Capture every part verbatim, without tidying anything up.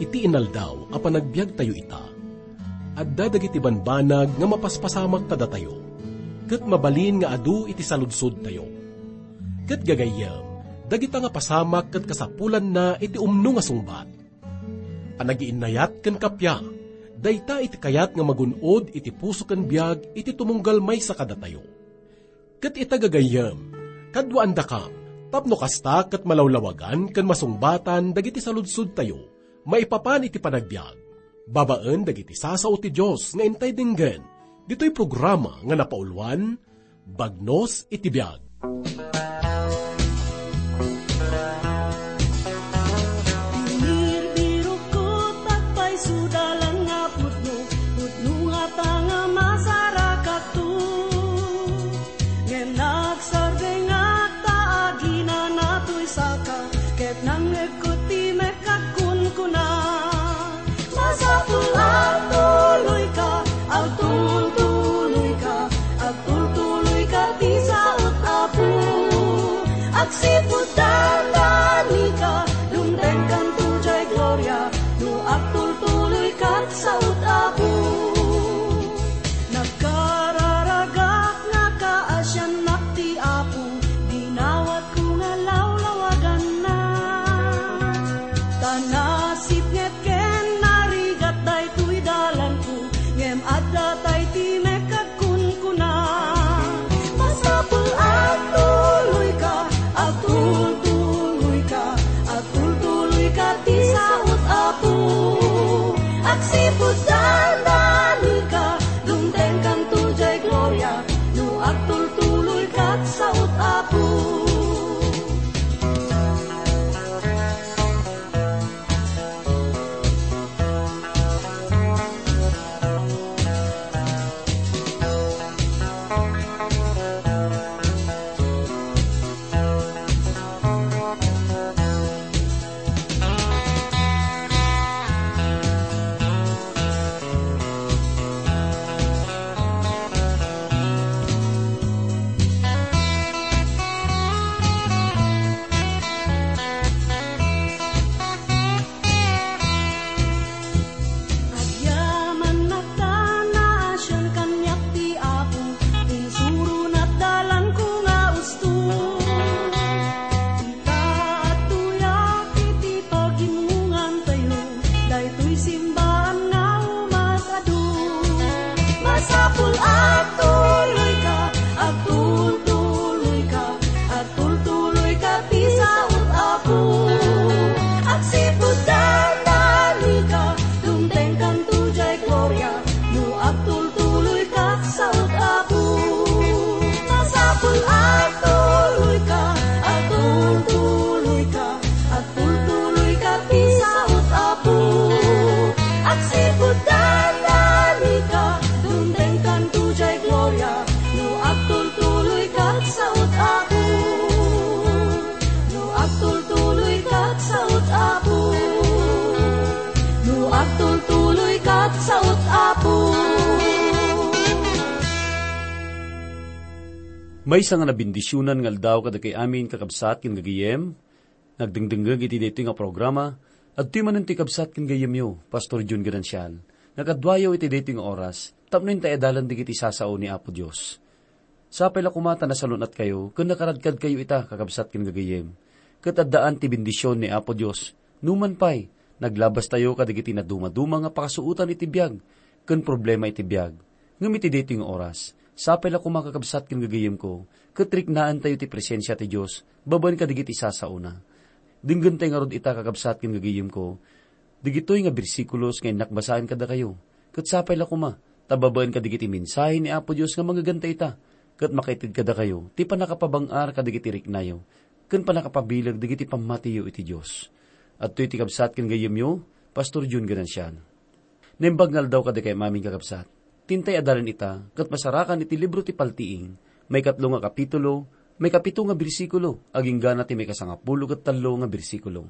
Iti inaldaw a panagbiagtayo ita, adda dagiti banbanag nga mapaspasamak kadatayo, ket mabalin nga adu iti saludsodtayo. Ket gagayyem, dagita nga pasamak ket kasapulanna iti umno nga sungbat. Panagiinnayat ken kappia, dayta iti kayat nga magun-od iti puso ken biag iti tumunggal maysa kadatayo. Ket ita gagayyem, kaduaandakam, tapno kasta ket malawlawagan ken masungbatan dagiti saludsodtayo maipapan iti panagbiag, babaen dagiti sasao ti Dios nga intay denggen ditoy programa nga napauluan, Bagnos iti Biag. Binirbirokko, agpayso dalan nga pudno, pudno nga ta nga masarakakto. Ngem nagsardengak ta aginana toy saka, ket nangngegko ti mekagkunkuna. Masapul agtuloyka, agtultuloyka, agtultuloyka ti saot, Apo. Agsipud dandanika, dumtengkanto jay gloria, no agtultuloyka ti saot, Apo. Nagkararagak nga kaasiannak ti Apo, dinawatko nga lawlawaganna. Ta nasipnget ken narigat daytoy dalanko, ngem adda tay ti mekagkunkuna. Masapul agtuloyka, agtultuloyka, agtultuloyka ti saot, Apo. Agsipud dandanika, dumtengkanto jay gloria, no agtultuloyka ti saot, Apo. Agyamannak ta naasian kaniak ti Apo, insurona ti dalanko nga usto. Ita, adtoyak iti pagimmungantayo, daytoy simbaan nga umas-adu. Masapul agtuloyka, agtultuloyka, agtultuloyka ti saot, Apo. Agsipud dandanika, dumtengkanto jay gloria, no agtultuloyka ti saot, Apo. Masapul agtuloyka, agtultuloyka, agtultuloyka ti saot, Apo. Agsipud dandanika, dumtengkanto jay gloria, no agtultuloyka ti saot, Apo. No agtultuloyka ti saot, Apo. No agtultuloyka ti saot, Apo. Maysa nga nabendisionan nga aldaw kadagiti amin, kakabsat ken gagayem. Nagdengdengngeg iti daytoy nga programa, adtoy manen ti kabsat ken gayyemyo, Pastor Jun Ganancial. Nakaduayo iti daytoy nga oras, tapno intay adalan dagiti sasao ni Apo Dios. Sapay la koma ta nasalun-atkayo ken nakaradkadkayo ita, kakabsat ken gagayyem. Ket addaan ti bendision ni Apo Dios. Numan pay, naglabastayo kadagiti nadumaduma nga pakasuotan iti biag ken problema iti biag. Ngem iti daytoy nga oras, sapay la koma, kakabsat ken gagayyemko, ket riknaentayo ti presensia ti Dios babaen kadagiti sasaona. Denggentay ngarud ita, kakabsat ken gagayyemko, dagitoy nga bersikulos nga innak basaen kadakayo, ket sapay la koma, ta babaen kadagiti mensahe ni Apo Dios nga mangeganta ita, ket makaited kadakayo ti pannakapabang-ar kadagiti riknayo, ken pannakapabileg dagiti pammatiyo iti Dios. Adtoy ti kabsat ken gayyemyo, Pastor Jun Ganancial. Naimbag nga aldaw kadakayo amin, kakabsat. Intay adalan ita, ket masarakan iti libro ti Paltiing, maikatlo nga kapitulo, maikapito nga bersikulo, agingga ti maikasangapulo ket tallo nga bersikulo.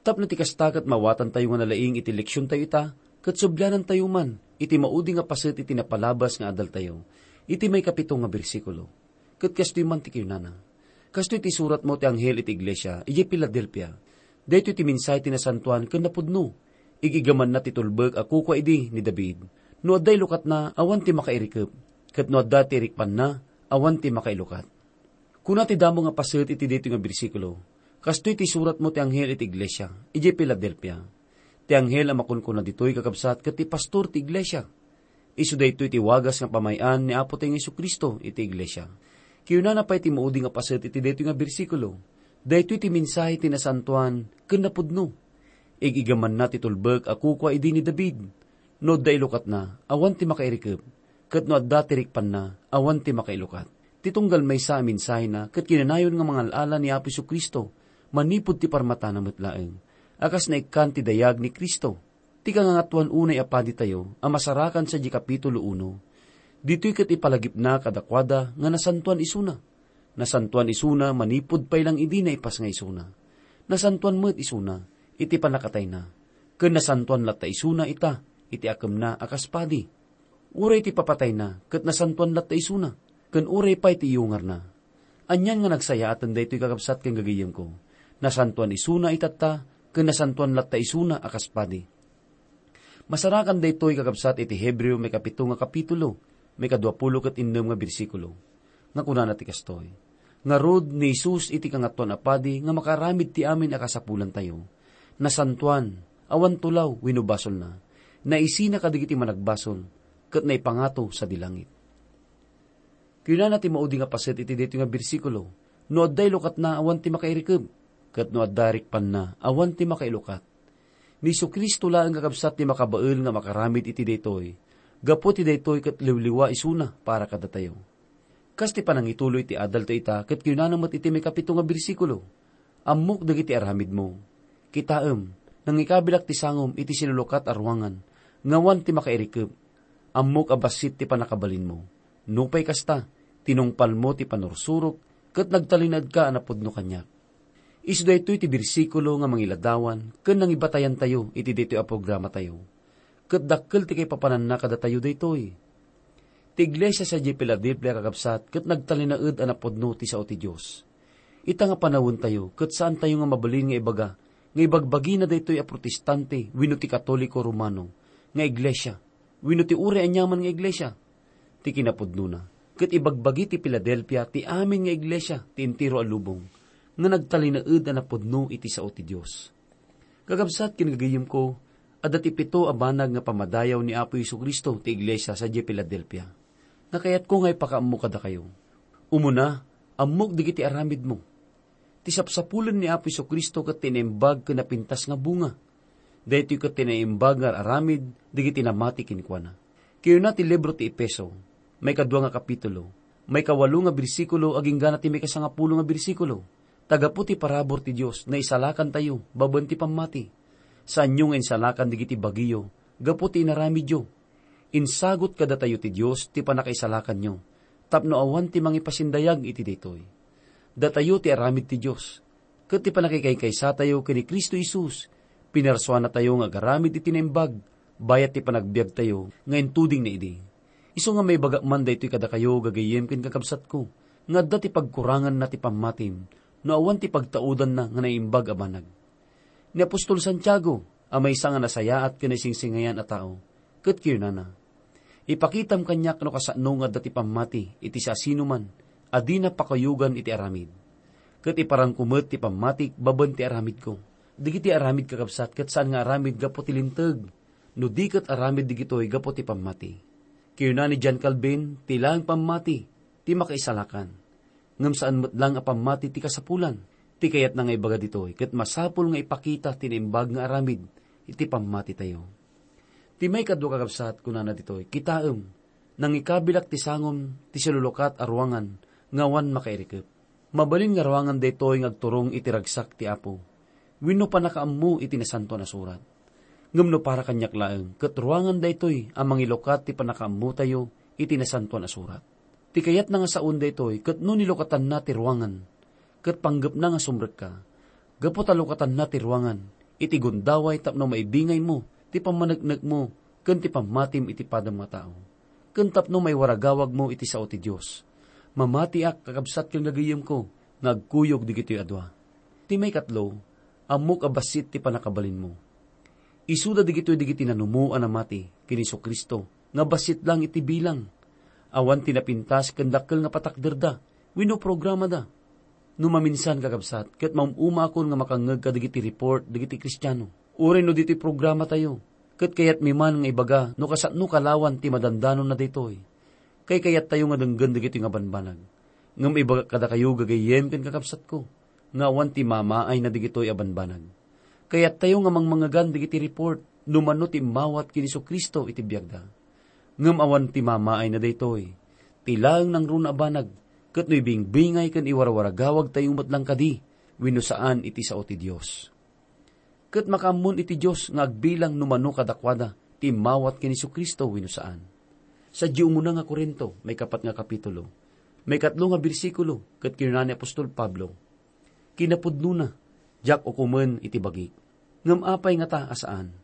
Tapno ti kasta ket maawatantayo nga nalaing iti leksiontayo ita, ket sublianantayo man iti maudi nga paset iti napalabas nga adaltayo, iti maikapito nga bersikulo. Ket kastoy man ti kinunana, "Kastoy ti suratmo ti anghel iti iglesia idiay Filadelfia. Daytoy ti mensahe ti nasantoan ken napudno. Ig-igamanna ti tulbek a kukua idi ni David. No adda ilukatna, awan ti makairikep. Ket no adda ti irikpanna, awan ti makailukat." Kuna ti damo nga paset iti daytoy nga bersikulo, "Kastoy ti suratmo ti anghel iti iglesia idiay Filadelfia." Ti anghel a makunkuna ditoy, kakabsat, ket ti pastor ti iglesia. Isu daytoy ti wagas nga pamay-an ni Apotayo nga Jesu-Cristo iti iglesia. Kinunana pay ti maudi nga paset iti daytoy nga bersikulo, "Daytoy ti mensahe ti nasantoan ken napudno. Ig-igamanna ti tulbek a kukua idi ni David. No adda ilukatna, awan ti makairikep, ket no adda ti rikpanna, awan ti makailukat." Ti tunggal maysa a mensahena ket kinanayon nga mangal-ala ni Apo Jesu-Cristo manipud ti parmatana met laeng, a kas naikkan ti dayag ni Cristo. Ti kangangatoan unay a paditayo a masarakan sadiay kapitulo uno, ditoy ket ipalagipna kadakuada nga nasantoan isuna. Nasantoan isuna manipud pay lang idi naipas nga isuna. Nasantoan met isuna iti pannakatayna, ken nasantoan latta isuna ita iti akemna a kas padi. Uray ti papatayna ket nasantoan latta isuna, ken uray pay ti iyungarna. Anian nga nagsayaaten daytoy, kakabsat ken gagayyemko. Nasantoan isuna itatta, ken nasantoan latta isuna a kas padi. Masarakan daytoy, kakabsat, iti Hebreo maikapito nga kapitulo, maikaduapulo ket innem nga bersikulo, nga kunana ti kastoy, "Ngarud, ni Jesus iti Kangatoan a Padi nga makaaramid ti amin a kasapulantayo, nasantoan, awan tulaw wenno basolna, naisina kadagiti managbasol, ket naipangato sadi langit." Kinunana ti maudi nga paset iti daytoy nga bersikulo, "No adda ilukatna, awan ti makairikep, ket no adda rikpanna, awan ti makailukat." Ni Jesu-Cristo laeng, kakabsat, ti makabael nga makaramid iti daytoy. Gapu ti daytoy ket liwliwa isuna para kadatayo. Kas ti panangituloy ti adalta ita, ket kinunana met iti maikapito nga bersikulo, "Ammok dagiti aramidmo. Kitaem, nangikabilak ti sangom iti silulukat a ruangan, nga awan ti makairikep. Ammok a bassit ti pannakabalinmo. Nupay kasta, tinungpalmo ti panursurok, ket nagtalinaedka a napudno kaniak." Isu daytoy ti bersikulo nga mangiladawan ken nangibatayantayo iti daytoy a programatayo. Ket dakkel ti kaipapananna kadatayo daytoy. Ti iglesia sadiay Filadelfia, kakabsat, ket nagtalinaed a napudno ti sao ti Dios. Ita nga panawentayo, ket saantayo nga mabalin nga ibaga nga ibagbagina daytoy a Protestante wenno ti Katoliko Romano nga iglesia, wenno ti uray aniaman nga iglesia. Ti kinapudnona, ket ibagbagi ti Filadelfia ti amin nga iglesia ti entero a lubong nga nagtalinaed a napudno iti sao ti Dios. Kakabsat ken gagayyemko, adda ti pito a banag nga pammadayaw ni Apo Jesu-Cristo ti iglesia sadiay Filadelfia nga kayatko nga ipakaammo kadakayo. Umuna, ammok dagiti aramidmo. Ti sapsapulen ni Apo Jesu-Cristo ket ti naimbag ken napintas nga bunga. Daytoy ket ti naimbag nga ar-aramid dagiti namati kenkuana. Kinuna ti libro ti Efeso, maikadua nga kapitulo, maikawalo nga bersikulo agingga na ti maikasangapulo nga bersikulo, ta gapu ti parabur ti Dios, naisalakantayo babaen ti pammati. Saanyo nga insalakan dagiti bagiyo gapu ti inaramidyo. Insagut kadatayo ti Dios ti pannakaisalakanyo tapno awan ti mangipasindayag iti daytoy. Datayo ti aramid ti Dios, ket ti pannakikaykaysaatayo ken ni Cristo Jesus, pinarsuanatayo nga agaramid iti naimbag bayat ti panagbiagtayo nga intudingna idi. Isu nga maibagak man daytoy kadakayo, gagayyem ken kakabsatko, nga adda ti pagkuranganna ti pammatim no awan ti pagtaudanna nga naimbag a banag. Ni apostol Santiago, a maysa nga nasayaat ken naisingsingayan a tao, ket kinunana, "Ipakitam kaniak no kasano nga adda ti pammati iti siasinoman a dina pakuyogan iti aramid. Ket iparangko met ti pammatik babaen ti aramidko." Dagiti aramid, kakabsat, ket saan nga aramid gapu ti linteg, no di ket aramid dagitoy gapu ti pammati. Kinuna ni John Calvin, "Ti laeng pammati ti makaisalakan, ngem saan met laeng a pammati ti kasapulan." Ti kayatna nga ibaga ditoy, ket masapul nga ipakita ti naimbag nga aramid iti pammatitayo. Ti maikadua, kakabsat, kunana ditoy, "Kitaem, nangikabilak ti sangom ti silulukat a ruangan nga awan makairikep." Mabalin nga ruangan daytoy nga agturong iti ragsak ti Apo wenno pannakaammo iti Nasantoan a Surat. Ngem no para kaniak laeng, ket ruangan daytoy a mangilukat ti pannakaammotayo iti Nasantoan a Surat. Ti kayatna nga saon daytoy ket no nilukatanna ti ruangan, ket panggepna nga sumrekka, gapu ta lukatanna ti ruangan iti gundaway tapno maibingaymo ti pammaneknekmo ken ti pammatim iti padam nga tao, ken tapno maiwaragawagmo iti sao ti Dios. Mamatiak, kakabsat ken gagayemko, nga agkuyog dagitoy a dua. Ti maikatlo, ammok a bassit ti pannakabalinmo. Isuda dagitoy dagiti nanumo a namati ken Jesu-Cristo nga bassit lang iti bilang. Awan ti napintas ken dakkel nga patakderda wenno programada. No maminsan, kakabsat, ket maum-umakon nga makangngeg kadagiti report dagiti Kristiano, uray no ditoy programatayo, ket kayatmi man nga ibaga no kasano kalawan ti madandanonna daytoy. Kaykayattayo nga denggen dagitoy nga banbanag. Ngem ibagak kadakayo, gagayyem ken kakabsatko, nga awan ti mamaayna dagitoy a banbanag. Kayattayo nga mangmangegan dagiti report no mano ti immawat ken Jesu-Cristo iti biagda. Ngem awan ti mamaayna daytoy. Ti laeng nangruna a banag, ket no ibingbingay ken iwarwaragawagtayo met lang kadi wenno saan iti sao ti Dios. Ket makaammon iti Dios nga agbilang no mano kadakuada ti immawat ken Jesu-Cristo wenno saan. Sadiay umuna nga Corinto, maikapat nga kapitulo, maikatlo nga bersikulo, ket kinuna ni apostol Pablo, "Kinapudnona, diak ukomen iti bagik." Ngem apay ngata a saan?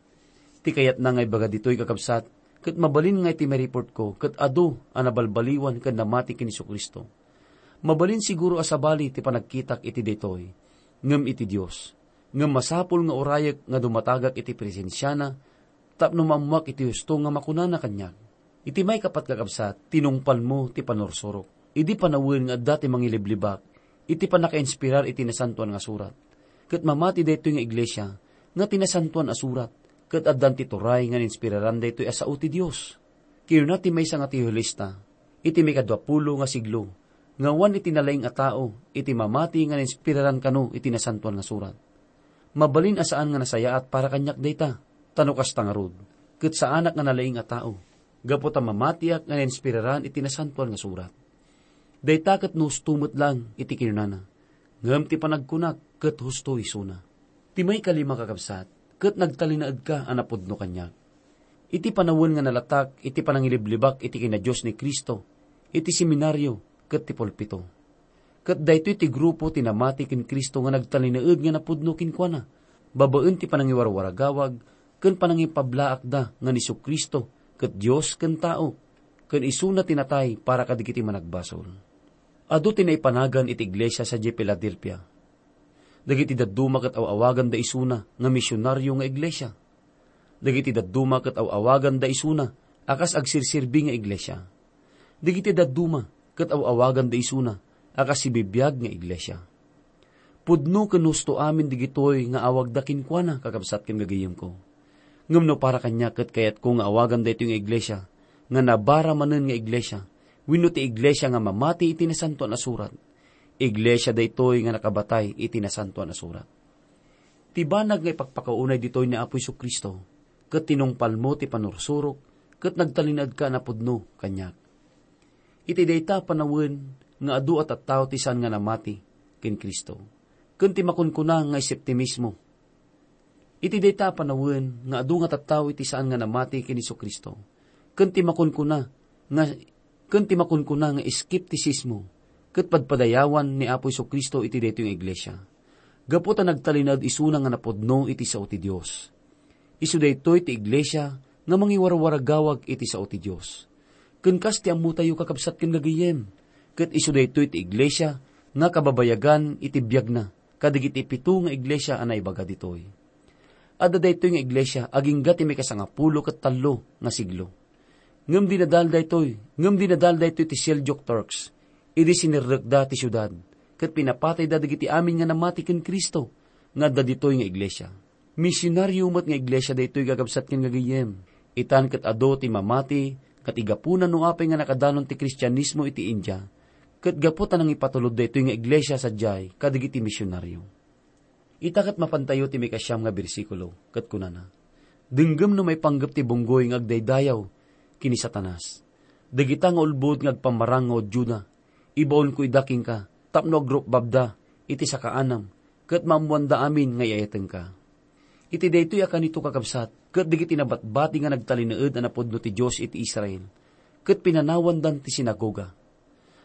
Ti kayatna nga ibaga ditoy, kakabsat, ket mabalin nga iti ma-report ko ket adu a nabalbaliwan ken namati ken Jesu-Cristo. Mabalin siguro a sabali ti panagkitak iti daytoy, ngem iti Dios. Ngem masapul nga urayek nga dumatagak iti presensiana tapno maammoak iti husto nga makunana kaniak. Iti maikapat, kakabsat, tinungpalmo ti panursurok. Idi panawen nga adda ti mangiliblibak iti pannakainspirar iti Nasantoan nga Surat, ket mamati daytoy nga iglesia nga ti Nasantoan a Surat, ket addan ti turay nga nainspiraran daytoy a sao ti Dios. Kinuna ti maysa nga teolista iti maikadua pulo nga siglo nga awan iti nalaing a tao iti mamati nga nainspiraran kano iti Nasantoan nga Surat. Mabalin a saan nga nasayaat para kaniak dayta, ta no kasta ngarud, ket saanak nga nalaing a tao, gapu ta mamatiak nga nainspiraran iti Nasantoan nga Surat. Dayta ket no husto met lang iti kinunana, ngem ti panagkunak ket husto isuna. Ti maikalima, kakabsat, ket nagtalinaedka a napudno kaniak. Iti panawen nga nalatak iti panangiliblibak iti kinadios ni Cristo, iti seminario ket ti pulpito. Ket daytoy ti grupo ti namati ken Cristo nga nagtalinaed nga napudno kenkuana, babaen ti panangiwarwaragawag ken panangipablaakda nga ni Jesu-Cristo ket Dios ken tao, ken isuna ti natay para kadagiti managbasol. Adu ti naipanagan iti iglesia sadiay Filadelfia. Dagiti dadduma ket aw-awaganda isuna nga misionario nga iglesia. Dagiti dadduma ket aw-awaganda isuna a kas agserserbi nga iglesia. Dagiti dadduma ket aw-awaganda isuna a kas sibibiag nga iglesia. Pudno ken husto amin dagitoy nga awagda kenkuana, kakabsat ken gagayyemko. Ngem no para kaniak ket kayatko nga awagan daytoy nga iglesia nga nabara manen nga iglesia, wenno ti iglesia nga mamati iti Nasantoan a Surat, iglesia daytoy nga nakabatay iti Nasantoan a Surat. Ti banag nga ipakpakaunay ditoy ni Apo Jesu-Cristo, ket tinungpalmo ti panursurok, ket nagtalinaedka a napudno kaniak. Iti dayta a panawen nga adu a tattao ti saan nga namati ken Cristo, ken ti makunkuna nga eseptimismo. Iti dayta a panawen nga adu nga tattao iti saan nga namati ken Jesu-Cristo, ken ti makunkuna nga, ken ti makunkuna nga eskeptisismo, ket padpadayawan ni Apo Jesu-Cristo iti daytoy nga iglesia, gapu ta nagtalinaed isuna nga napudno iti sao ti Dios. Isu daytoy ti iglesia nga mangiwarwaragawag iti sao ti Dios. Ken kas ti ammotayo, kakabsat ken gagayyem, ket isu daytoy ti iglesia nga kababayagan iti biagna kadagiti pito nga iglesia a naibaga ditoy. Adda daytoy nga iglesia agingga ti maikasangapulo ket tallo nga siglo. Ngem dinadal daytoy, ngem dinadal daytoy ti Seljuk Turks idi sinerrekda ti siudad, ket pinapatayda dagiti amin nga namati ken Cristo nga adda ditoy nga iglesia. Misionario met nga iglesia daytoy, kakabsat ken gagayyem. Itan ket adu ti mamati nga ti gapuna no apay nga nakadanon ti Kristianismo iti India, ket gapu ta nangipatulod daytoy nga iglesia sadiay kadagiti misionario. Ita ket mapantayo ti maikasiam nga bersikulo, ket kunana, "Denggem no maipanggep ti bunggoy nga agdaydayaw ken ni Satanas. Dagita nga ulbod nga agpammarang nga Judioda, ibaonko ida kenka tapno agrupbabda iti sakaanam, ket maammoanda amin nga iyayatenka." Iti daytoy a kanito, kakabsat, ket dagiti nabatbati nga nagtalinaed a napudno ti Dios iti Israel, ket pinanawandan ti sinagoga.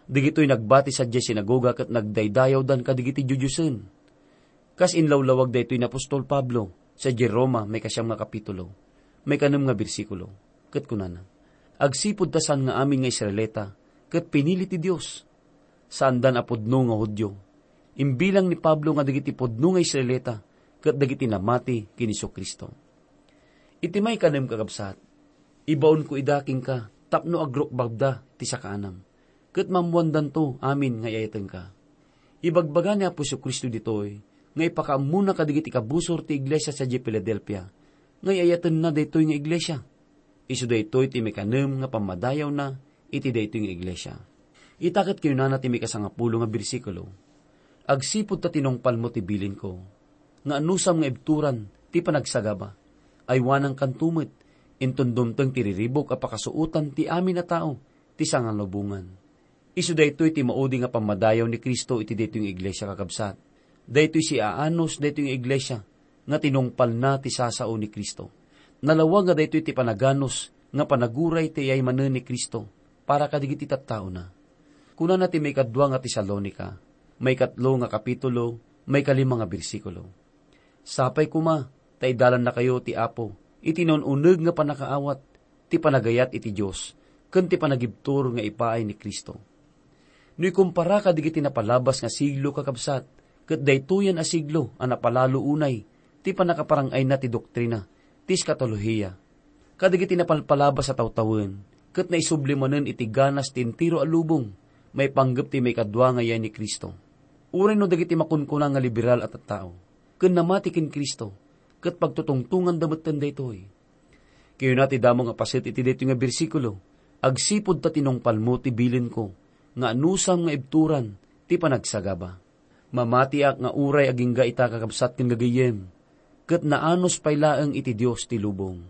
Dagitoy nagbati sadiay sinagoga ket nagdaydayawdan kadagiti diodiosen. Kas inlawlawag daytoy ni apostol Pablo sadiay Roma, maikasiam nga kapitulo, maikanem nga bersikulo, ket kunana, "Agsipud ta saan nga amin nga Israelita ket pinili ti Dios, saandan a pudno nga Judio. Imbilang ni Pablo nga dagiti pudno nga Israelita ket dagiti namati ken Jesu-Cristo. Iti maikanem, kakabsat, ibaonko ida kenka tapno agrukbabda ti sakaanam, ket maammoandanto amin nga ay-ayatenka. Ibagbaga ni Apo Jesu-Cristo ditoy nga ipakaammona kadagiti kabusor ti iglesia sadiay Filadelfia nga ay-ayatenna daytoy nga iglesia. Isu daytoy ti maikanem nga pammadayawna iti daytoy nga iglesia. Ita ket kinunana ti maikasangapulo nga bersikulo, "Agsipud ta tinungpalmo ti bilinko, nga anusam nga ibturan ti panagsagaba, aywanankanto met, inton dumteng ti riribuk a pakasuotan ti amin a tao ti sangalubongan." Isu daytoy ti maudi nga pammadayaw ni Cristo iti daytoy nga iglesia, kakabsat. Daytoy siaanus daytoy nga iglesia nga tinungpalna ti sasao ni Cristo. Nalawag nga daytoy ti panaganus nga panaguray ti iyay manen ni Cristo para kadagiti tattaona. Kunana ti maikadua nga Tesalonica, maikatlo nga kapitulo, maikalima nga bersikulo, "Sapay koma ta idalannakayo ti Apo iti naun-uneg nga pannakaawat, ti panagayat iti Dios, ken ti panagibtur nga ipaay ni Cristo." No ikumpara kadagiti napalabas nga siglo, kakabsat, ket daytoyen a siglo a napalalo unay ti pannakaparang-ayna ti doktrina ti eskatolohiya. Kadagiti napalpalabas a tawtawen ket naisubli manen iti ganas ti entero a lubong maipanggep ti maikadua nga iyay ni Cristo. Uray no dagiti makunkuna nga liberal a tattao ken namati ken Cristo, ket pagtutungtonganda metten daytoy. Kinuna ti damo nga paset iti daytoy nga bersikulo, "Agsipud ta tinungpalmo ti bilinko, nga anusam nga ibturan ti panagsagaba." Mamatiak nga uray agingga ita, kakabsat ken gagayyem, ket naanus pay laeng iti Dios ti lubong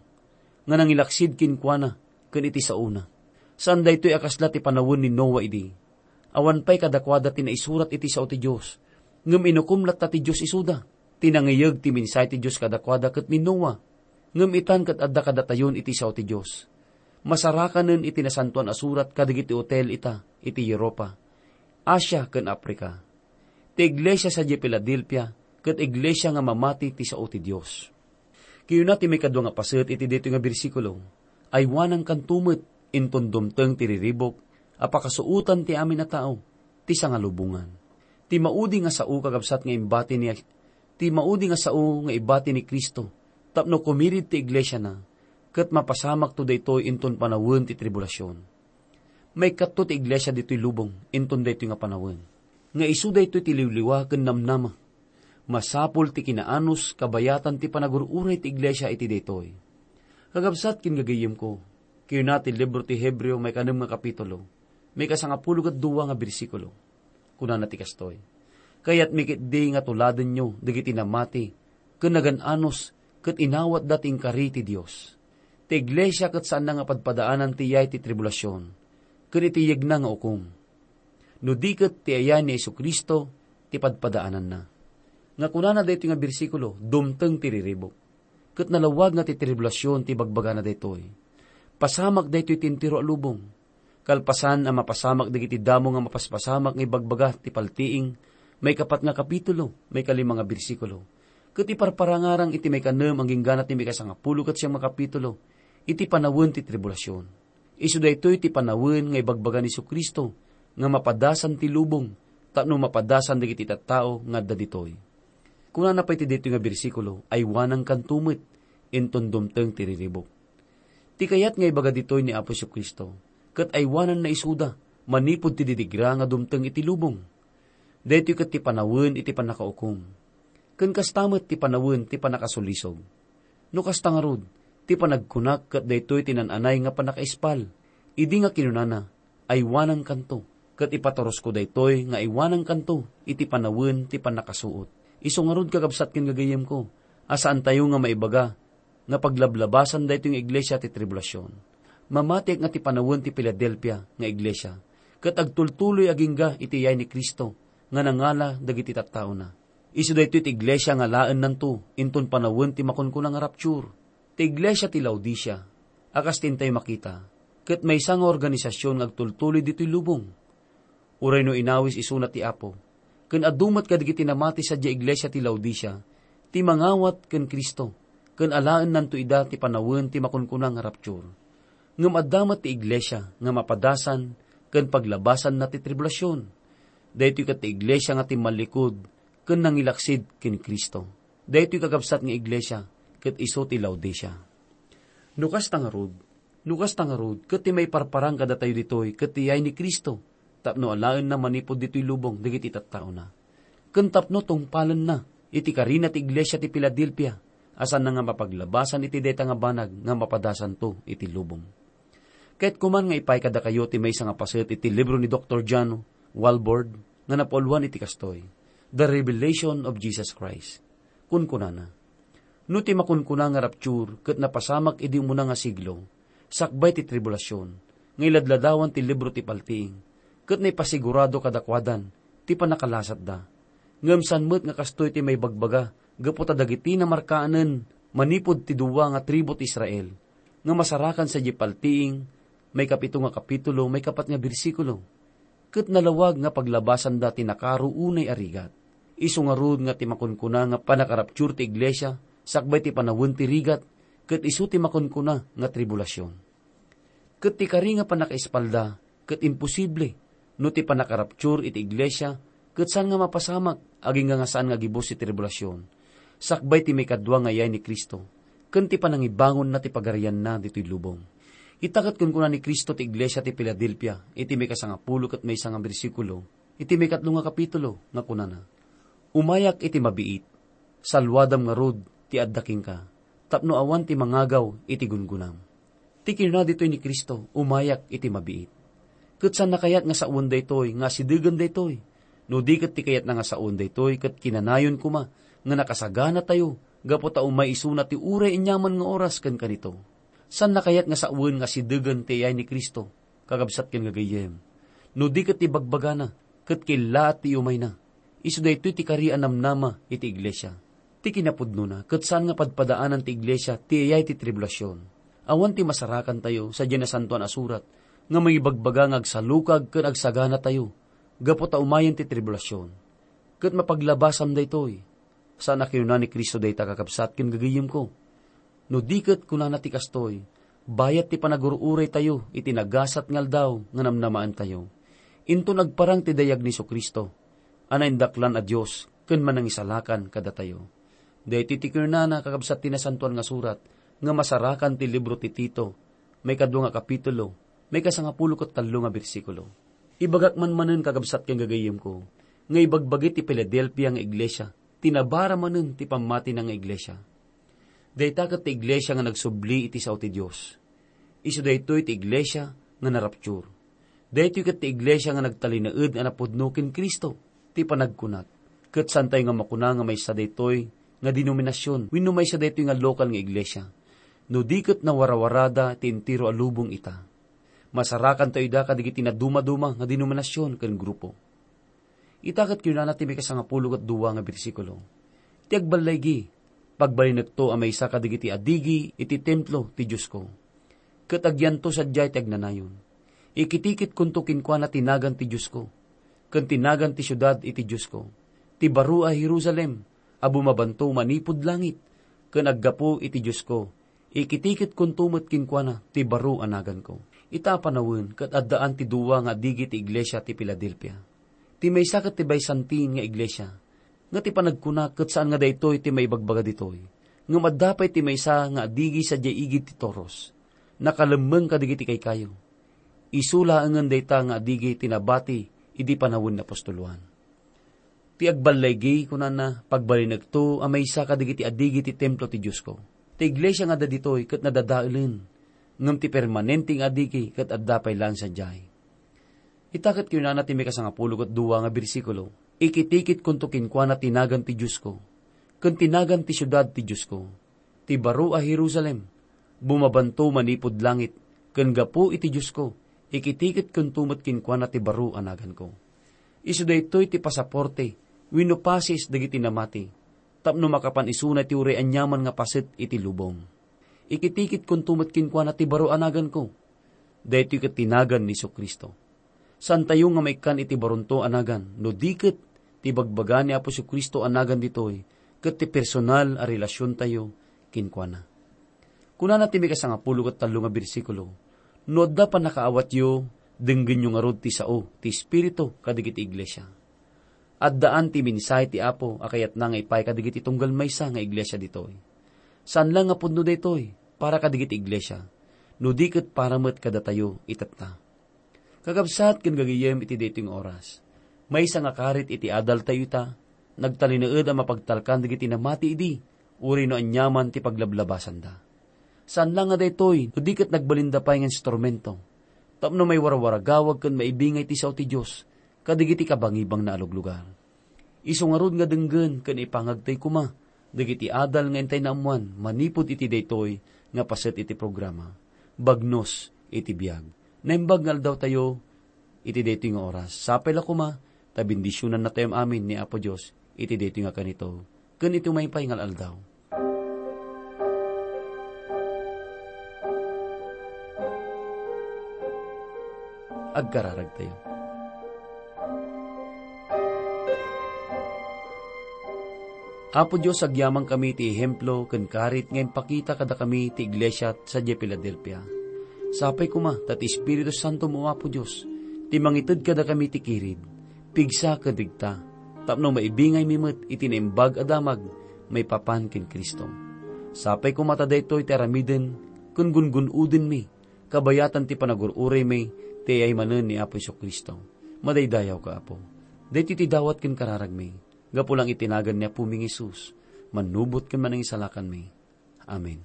nga nangilaksid kenkuana ken iti saona. Saan daytoy a kasla ti panawen ni Noa idi. Awan pay kadakuada ti naisurat iti sao ti Dios, ngem inukom latta ti Dios isuda. Ti nangiyeg ti mensahe ti Dios kadakuada ket ni Noa, ngem itan ket adda kadatayon iti sao ti Dios. Masarakanen iti Nasantoan a Surat kadagiti otel ita iti Europa, Asia, ken Africa. Ti iglesia sadiay Filadelfia ket iglesia nga mamati ti sao ti Dios. Kinuna ti maikadua nga paset iti daytoy nga bersikulo, "Aywanankanto met inton dumteng ti riribuk a pakasuotan ti amin a tao ti sangalubongan." Ti maudi nga sao, kakabsat, nga imbati ni, ti maudi nga sao nga ibati ni Cristo tapno kumirid ti iglesiana, ket mapasamakto daytoy inton panawen ti tribulasion. Maikatto ti iglesia ditoy lubong inton daytoy nga panawen, nga isu daytoy ti liwliwa ken namnama. Masapul ti kinaanus kabayatan ti panagur-uray ti iglesia iti daytoy. Kakabsat ken gagayyemko, kinuna ti libro ti Hebreo, maikanem nga kapitulo, maikasangapulo ket dua nga bersikulo. Kunana ti kastoy, "Kayatmi ketdi nga tuladenyo dagiti namati ken nagan-anus ket inawatda ti inkari ti Dios. Ti iglesia ket saanna nga padpadaanan ti iyay ti tribulasion ken iti yegna nga ukom. No di ket ti ayay ni Jesu-Cristo ti padpadaananna." Nga kunana daytoy nga bersikulo, dumteng ti riribuk. Ket nalawag nga ti tribulasion ti bagbagana daytoy. Pasamak daytoy ti entero a lubong. Kalpasan a mapasamak dagiti damo nga mapaspasamak nga ibagbaga ti paltiing, maikapat nga kapitulo, maikalima nga bersikulo, ket iparparangarang iti maikanem agingga ti maikasangapulo ket siam nga kapitulo, iti panawen ti tribulasion. Isu daytoy ti panawen nga ibagbaga ni Jesu-Cristo nga mapadasan ti lubong tapno mapadasan dagiti tattao nga adda ditoy. Kunana pay ti daytoy nga bersikulo, "Aywanankanto met inton dumteng ti riribuk." Ti kayat nga ibaga ditoy ni Apo Jesu-Cristo, ket aywananna isuda manipud ti didigra nga dumteng iti lubong. Daytoy ket ti panawen iti pannakaukom. Ken kasta met ti panawen ti pannakasulisog. No kasta ngarud, ti panagkunak ket daytoy ti naan-anay nga pannakaispal, idi nga kinunana, "Aywanankanto," ket ipaturosko daytoy nga aywanankanto iti panawen ti pannakasuot. Isu ngarud, kakabsat ken gagayyemko, a saantayo nga maibaga nga paglablabasan daytoy nga iglesia ti tribulasion. Mamatiak nga ti panawen ti Filadelfia nga iglesia ket agtultuloy agingga iti iyay ni Cristo nga nangala dagiti tattaona. Isu daytoy ti iglesia nga alaennanto inton panawen ti makunkuna nga rapture. Ti iglesia ti Laodicea, a kas ti intayo makita, ket maysa nga organisasion nga agtultuloy ditoy lubong. Uray no inawis isuna ti Apo, ken adu met kadagiti namati sadiay iglesia ti Laodicea ti mangawat ken Cristo, ken alaennanto ida ti panawen ti makunkuna nga rapture. Ngem adda met ti iglesia nga mapadasan ken paglabasanna ti tribulasion. Daytoy ket ti iglesia nga timmallikud ken nangilaksid ken Cristo. Daytoy kakabsat nga iglesia ket isu ti Laodicea. No kasta ngarud, no kasta ngarud, ket ti maiparparang kadatayo ditoy ket ti yay ni Cristo, tapno alaenna manipud ditoy lubong dagiti tattaona. Ken tapno tungpalenna iti karina ti iglesia ti Filadelfia, a saanna nga mapaglabasan iti dayta nga banag nga mapadasanto iti lubong. Kayatko man nga ipay kadakayo ti maysa nga paset iti libro ni Doktor John Walvoord nga napauluan iti kastoy, The Revelation of Jesus Christ. Kunkunana, "No ti makunkuna nga rapture ket napasamak idi umuna nga siglo, sakbay ti tribulasion, nga iladladawan ti libro ti paltiing, ket naipasigurado kadakuadan ti pannakalasatda. Ngem saan met nga kastoy ti maibagbaga gapu ta dagiti namarkaanen manipud ti dua nga tribu ti Israel, nga masarakan sadiay paltiing, maikapito nga kapitulo, maikapat nga bersikulo. Ket nalawag nga paglabasanda ti nakaro unay a rigat. Isu ngarud nga ti makunkuna nga pannakarapture ti iglesia, sakbay ti panawen ti rigat, ket isu ti makunkuna nga tribulasion." Ket ti kari nga pannakaispalda ket imposible no ti pannakarapture iti iglesia ket saan nga mapasamak agingga nga saan nga gibus ti tribulasion, sakbay ti maikadua nga yay ni Cristo, ken ti panangibangonna ti pagarianna ditoy lubong. Ita ket kunkuna ni Cristo ti iglesia ti Filadelfia iti maikasangapulo ket maysa nga bersikulo, iti maikatlo nga kapitulo nga kunana, "Umayak iti mabiit, saluadam ngarud ti adda kenka, tapno awan ti mangagaw iti gungonam." Ti kinuna ditoy ni Cristo, "Umayak iti mabiit." Ket saan nakayat nga sawen daytoy nga asidegen daytoy. No di ket ti kayatna nga sawen daytoy, ket kinanayon koma nga nakasaganatayo gapu ta umay isuna ti uray aniaman nga oras ken kanito. Saan nakayat nga sawen nga asidegen ti ayay ni Cristo, kakabsat ken gagayyem. No di ket ti bagbagana, ket kellaat ti iumayna. Isu daytoy ti kari a namnama iti iglesia. Ti kinapudnona, ket saan nga padpadaanan ti iglesia ti ayay ti tribulasion. Awan ti masarakantayo sadiay Nasantoan a Surat nga mangibagbaga nga agsalukag ken agsaganatayo gapu ta umayen ti tribulasion. Ket mapaglabasam daytoy. Saan a kinuna ni Cristo dayta, kakabsat ken gagayyemko? No di ket kunana ti kastoy, bayat ti panagur-uraytayo iti nagasat nga aldaw nga namnamaentayo. Inton agparang ti dayag ni Jesu-Cristo, a naindaklan a Dios ken Manangisalakan kadatayo. Daytoy ti kinunana, kakabsat, ti Nasantoan nga Surat nga masarakan ti libro ti Tito, maikadua nga kapitulo, maikasangapulo ket tallo nga bersikulo. Ibagak man manen, kakabsat ken gagayyemko, nga ibagbagi ti Filadelfia nga iglesia ti nabara manen ti pammatina nga iglesia. Dayta ket ti iglesia nga nagsubli iti sao ti Dios. Isu daytoy ti iglesia nga narapture. Daytoy ket ti iglesia nga nagtalinaed a napudno ken Cristo. Ti panagkunak, ket saantayo nga makuna nga maysa daytoy nga denominasion wenno maysa daytoy nga lokal nga iglesia, no di ket nawarawarada ti entero a lubong ita. Masarakantayo ida kadagiti nadumaduma nga denominasion ken grupo. Ita ket kinunana ti maikasangapulo ket dua nga bersikulo, "Ti agballaygi, pagbalinekto a maysa kadagiti adigi iti templo ti Diosko, ket agyanto sadiay ti agnanayon. Ikitikitkonto kenkuana ti nagan ti Diosko, ken ti nagan ti siudad iti Diosko, ti baro a Jerusalem a bumabanto manipud langit, ken aggapu iti Diosko, ikitikitkonto met kenkuana ti baro a naganko." Ita a panawen ket addaan ti dua nga adigi ti iglesia ti Filadelfia. Ti maysa ket ti Byzantine nga iglesia, nga ti panagkuna ket saan nga daytoy ti maibagbaga ditoy, ngem adda pay ti maysa nga adigi sadiay igid ti toros. Nakalemmeng kadagiti kaykayo. Isu laengen dayta nga adigi ti nabati idi panawen ni apostol Juan. Ti agballaygi, kunana, pagbalinekto a maysa kadagiti adigi ti templo ti Diosko. Ti iglesia nga adda ditoy ket nadadaelen, ngem ti permanente nga adigi ket adda pay laeng sadiay. Ita ket kinunana ti maikasangapulo ket dua nga bersikulo, "Ikitikitkonto kenkuana ti nagan ti Diosko, ken ti nagan ti siudad ti Diosko, ti baro a Jerusalem, bumabanto manipud langit, ken gapu iti Diosko, ikitikitkonto met kenkuana ti baro a naganko." Isu daytoy ti pasaporte wenno pases dagiti namati, tapno makapan isuna ti uray aniaman nga paset iti lubong. "Ikitikitkonto met kenkuana ti baro a naganko." Daytoy ket ti nagan ni Jesu-Cristo. Saantayo nga maikkan iti baronto a nagan no di ket ti ibagbaga ni Apo Jesu-Cristo a nagan ditoy ket ti personal a relasiontayo kenkuana. Kunana ti maikasangapulo ket tallo nga bersikulo, "No adda pannakaawatyo, denggenyo ngarud ti sao ti Espiritu kadagiti iglesia." Addaan ti mensahe ti Apo a kayatna nga ipaay kadagiti tunggal maysa nga iglesia ditoy. Saan la nga pudno daytoy para kadagiti iglesia, no di ket para met kadatayo itatta. Kakabsat ken gagayyem iti daytoy nga oras, maysa nga karit iti adaltayo ita, nagtalinaed a mapagtalkan dagiti namati idi, uray no aniaman ti paglablabasanda. Saan la nga daytoy, no di ket nagbalinda pay nga instrumento, tapno maiwarwaragawag ken maibingay ti sao ti Dios kadagiti kabangibangna a luglugar. Isu ngarud nga denggen ken ipangagtay koma dagiti adal nga intay naammoan manipud iti daytoy nga paset iti programa, Bagnos iti Biag. Naimbag nga aldawtayo iti daytoy nga oras. Sapay la koma ta bendisionannatayo amin ni Apo Dios iti daytoy nga kanito ken iti umaypay nga aldaw. Agkararagtayo. Apo Dios, agyamankami ti ehemplo ken karit nga impakita kadakami ti iglesia sadiay Filadelfia. Sapay koma ta ti Espiritu Santo mo, Apo Dios, ti mangited kadakami ti kirid, pigsa ken rigta, tapno maibingaymi met iti naimbag a damag maipapan ken Cristo. Sapay koma ta daytoy ti aramiden ken gungun-odenmi, kabayatan ti panagur-uraymi ti ayaymanen ni Apo Jesu-Cristo. Madaydayawka, Apo. Daytoy ti dawat ken kararagmi, gapu lang iti nagan ni Apomi nga Jesus, mannubot ken manangisalakanmi. Amen.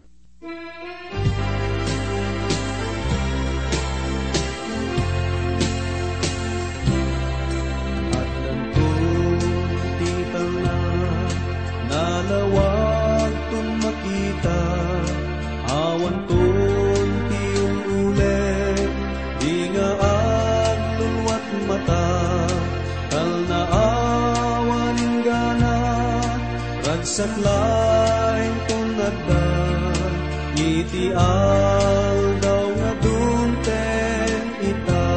Addanton ti talna, nalawagton makita, awanton ti ul-uleg, di nga agluluat mata, talna awan inggana, ragsak laeng ton adda, iti aldaw nga dumteng ita.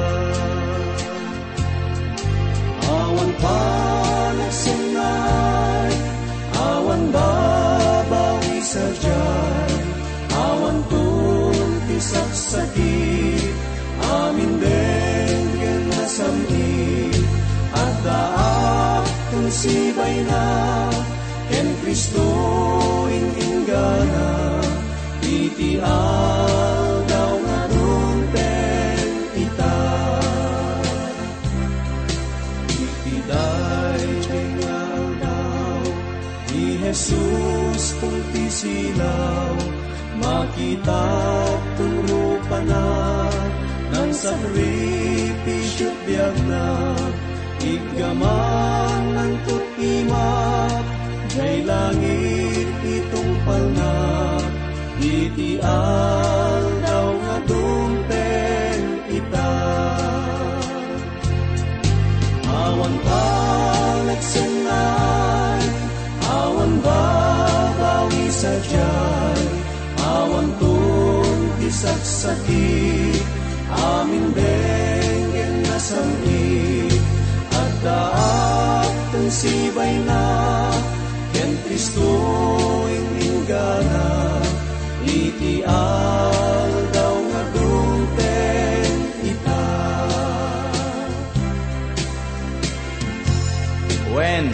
Awan panagsennay, awan babawi sadiay, awanton ti saksakit, amin denggen nasam-it, addaak ton sibayna, ken Cristo in-inggana, iti aldaw nga dumteng ita. Iti daytoy nga aldaw, ni Jesus ton ti silaw, makitak ton rupana, nangsakripisio ti biagna, iggaman nangtut-imak, jay langit itungpalna, iti aldaw nga dumteng ita. Awan panagsennay, awan babawi sadiay, awanton ti saksakit, amin denggen nasam-it, addaak ton sibayna, ken Cristo in-inggana, iti aldaw nga dumteng ita. Wen,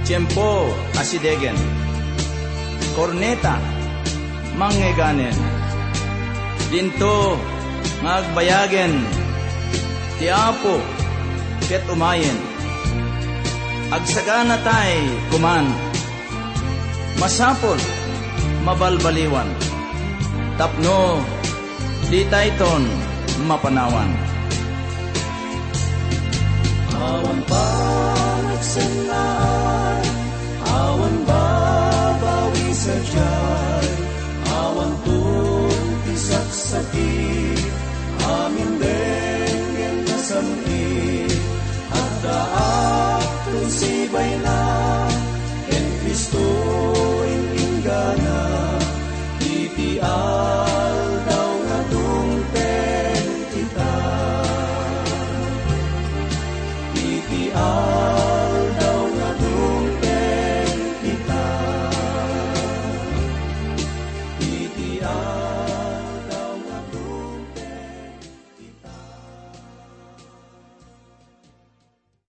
tiempo a sidegen, korneta, manngeganen. Dinto nga agbayagen ti Apo ket umayen. Agsaganatay koman. Masapul, mabalbaliwan, tapno ditayton mapanawan. Awan panagsennay,